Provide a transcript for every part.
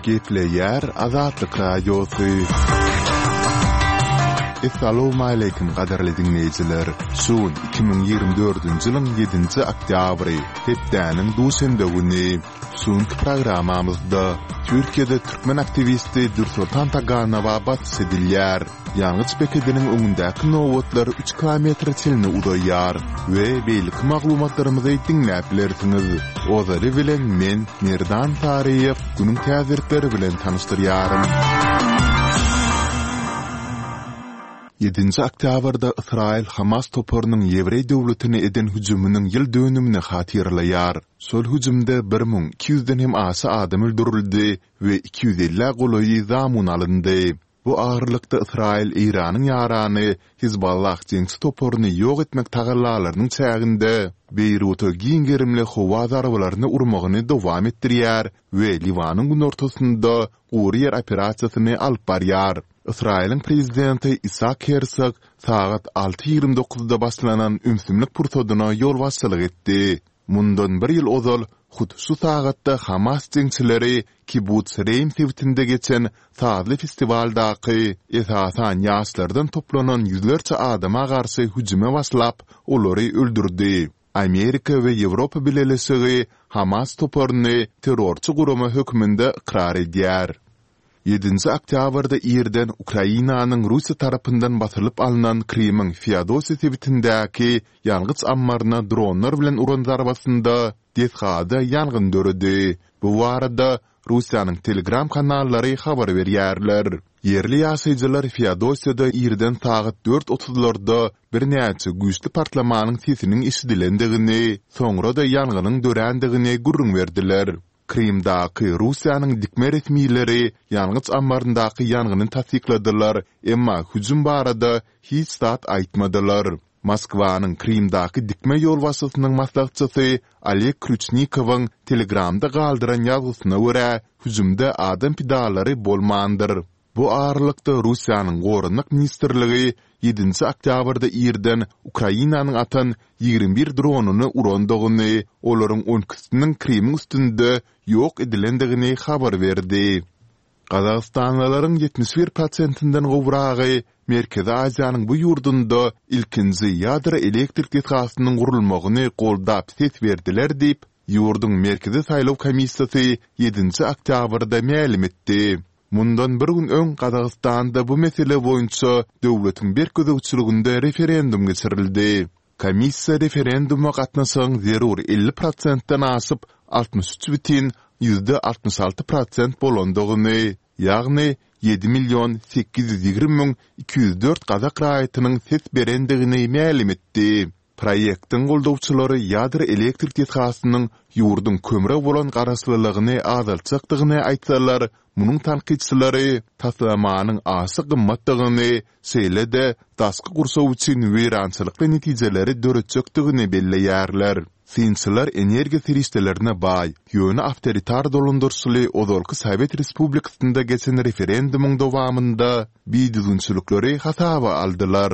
Gepleýär Azatlyk Radiosy. Essalawmaleýkim gadyrly diňleýjiler! Şu gün 2024-nji ýylyň ýedinji oktýabry, hepdäniň duşenbe güni. Şu günki programmamyzda Türkiýede türkmen aktiwisti Dürsoltan Taganowa basyş edilýär. Ýangyç bekediniň öňündäki nobatlar üç kilometre çenli uzaýar we beýleki maglumatlarymyzy diňläp bilersiňiz. Ozaly bilen men, Merdan Saryýew, günüň täzelikleri bilen tanyşdyrýaryn. Ýedinji oktýabrda Ysraýyl Hamas toparynyň ýewreý döwletine eden hüjüminiň ýyl dönümini hatyralaýar. Şol hüjümde 1200 ýüzden hem aşa adam öldürildi we 250-ä golaýy zamun alyndy. Bu aralykda Ysraýyl Eýranyň ýarany Hizballah jeňçi toparyny ýok etmek tagallalarynyň çäginde Beýruta giň gerimli howa zarbalaryny urmagyny dowam etdirýär we Liwanyň günortasynda gury ýer operasiýasyny alyp barýar. Ysraýylyň prezidenti Isak Hersog sagat alty 29-da başlanan ümsümlik pursadyna ýolbaşçylyk etdi. Mundan bir ýyl ozal, hut şu sagatda Hamas jeňçileri Kibbutz Reým sebitinde geçen sazly festiwaldaky, esasan, ýaşlardan toplanan ýüzlerçe adama garşy hüjüme başlap, olary öldürdi. Amerika we Ýewropa Bileleşigi Hamas toparyny terrorçy gurama hökmünde ykrar edýär. Ýedinji oktýabrda irden Ukrainanyň Russiýa tarapyndan basylyp alnan Krymyň Feodosiýa sebitindäki ýangyç ammaryna dronlar bilen uran zarbasynda desgada ýangyn döredi. Bu barada Russiýanyň Telegram kanallary habar berýärler. Ýerli ýaşaýjylar Feodosiýada irden sagat dört otuzlarda birnäçe güýçli partlamanyň sesiniň eşidilendigini, soňra-da ýangynyň dörändigini gürrüň berdiler. Krymdaky Russiýanyň dikme resmileri ýangyç ammaryndaky ýangyny tassykladylar, emma hüjüm barada hiç zat aýtmadylar. Moskwanyň Krymdaky dikme ýolbaşçysynyň maslahatçysy Oleg Krýuçnikowyň Telegramda galdyran ýazgysyna görä, hüjümde adam pidalary bolmandyr. Bu aralykda, Russiýanyň Goranmak ministrligi ýedinji oktýabrda irden Ukrainanyň atan 21 dronyny urandygyny, olaryň on ikisiniň Krymyň üstünde ýok edilendigini habar berdi. Gazagystanlylaryň 71 prosentinden gowragy Merkezi Aziýanyň bu ýurdunda ilkinji ýadro elektrik desgasynyň gurulmagyny goldap ses berdiler diýip, ýurduň Merkezi saýlaw komissiýasy ýedinji oktýabrda mälim etdi. Mundan bir gün öň Gazagystanda bu mesele boýunça döwletiň berk gözegçiliginde referendum geçirildi. Komissiýa referenduma gatnaşygyň zerur 50 prosentden aşyp, 63 bütin ýüzde 66 prosent bolandygyny, ýagny 7 million 820 müň 204 gazak raýatynyň ses berendigini mälim etdi. Proýektiň goldawçylary ýadro elektrik desgasynyň ýurduň kömre bolan garaşlylygyny azaltjakdygyny aýtsalar, munuň tankytçylary taslamanyň aşa gymmatdygyny, şeýle-de daşky gurşaw üçin weýrançylykly netijeleri döretjekdigini belleýärler. Synçylar energiýa serişdelerine baý, ýöne awtoritar dolandyryşly ozalky sowet respublikasynda geçen referendumyň dowamynda bidüzgünçilikleri hasaba aldylar.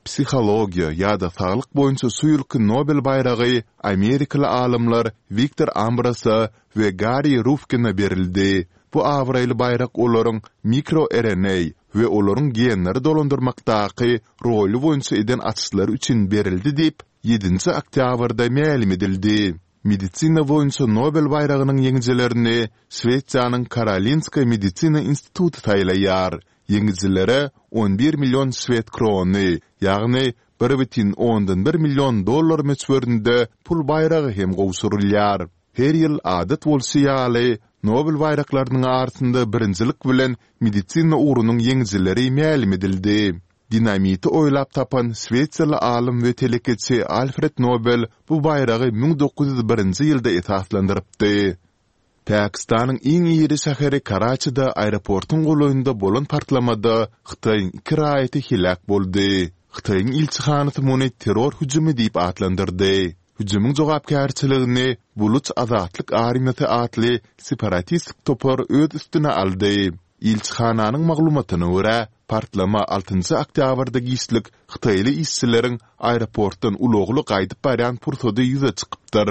Psihologiýa ýa-da saglyk boýunça şu ýylky Nobel baýragy amerikaly alymlar Wiktor Ambrosa we Garri Rufkine berildi. Bu abraýly baýrak olaryň mikro-RNA we olaryň genleri dolandyrmakdaky roly boýunça eden açyşlary üçin berildi diýip, ýedinji oktýabrda mälim edildi. Medisina boýunça Nobel baýragynyň ýeňijilerini Şwesiýanyň Karolinska medisina instituty saýlaýar. Ýeňijilere 11 million şwed krony, ýagny 1,1 million dollar möçberinde pul baýragy hem gowşurylýar. Her ýyl adat bolşy ýaly, Nobel baýraklarynyň arasynda birinjilik bilen medisina ugrunyň ýeňijileri mälim edildi. Dinamiti oýlap tapan şwesiýaly alym we telekeçi Alfred Nobel bu baýragy 1901-nji ýylda esaslandyrypdy. Pakistanyň iň iri şäheri Karaçide aeroportuň golaýynda bolan partlamada Hytaýyň iki raýaty heläk boldy. Hytaýyň ilçihanasy muny terror hüjümi diýip atlandyrdy. Hüjümiň jogapkärçiligini Buluç azatlyk armiýasy atly separatistik topar öz üstüne aldy. Ilçihananyň maglumatyna görä, partlama altynjy oktýabrda giçlik hytaýly işçileriň aeroportdan ulagly gaýdyp barýan pursady ýüze çykypdyr.